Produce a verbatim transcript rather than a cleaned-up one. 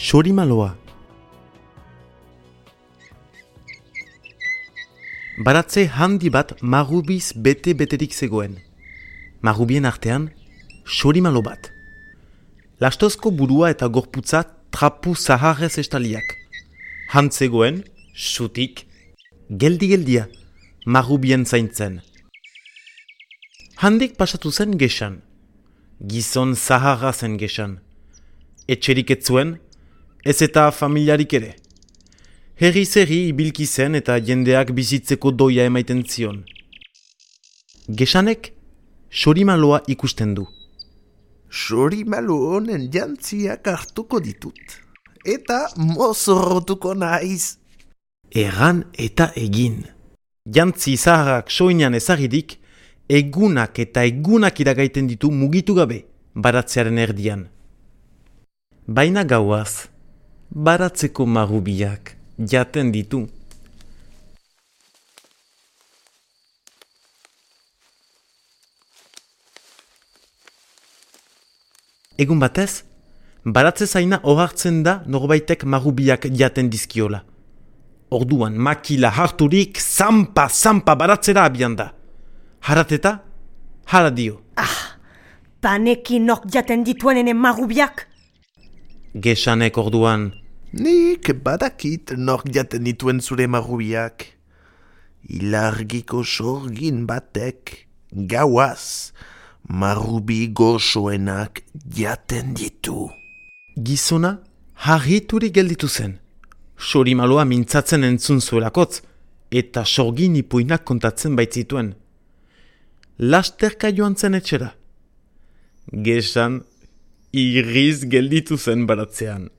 Sorimaloa. Baratze handi bat marrubiz bete-beterik zegoen. Marrubien artean, sorimalo bat. Lastozko burua eta gorputza trapu zaharrez estaliak. Han zegoen, sutik, geldi-geldia, marrubien zaintzen. Handik pasatu zen gesan. Gizon zaharra zen gesan. Etxerik ez zuen, ez eta familiarik ere. Herri-zerri ibilki zen eta jendeak bizitzeko doia emaiten zion. Gesanek sorimaloa ikusten du. Sorimalo honen jantziak hartuko ditut. Eta mozorrotuko naiz. Erran eta egin. Jantzi zaharrak soinean ezagidik, egunak eta egunak iragaiten ditu mugitu gabe, baratzearen erdian. Baina gauaz, baratzeko marrubiak jaten ditu. Egun batez, baratze zaina ohartzen da norbaitek marrubiak jaten dizkiola. Orduan makila harturik zampa-zampa baratzera abian da. Harateta, hala dio. Ah, paneki nork jaten dituenen marrubiak? Gesanek orduan, nik badakit nork jaten dituen zure marrubiak. Ilargiko sorgin batek, gauaz, marrubi gozoenak jaten ditu. Gizona harriturik gelditu zen. Sorimaloa mintzatzen entzun zuelakotz, eta sorgin ipuinak kontatzen baitzituen. Lasterka joan zen etxera. Gesan irriz gelditu zen baratzean.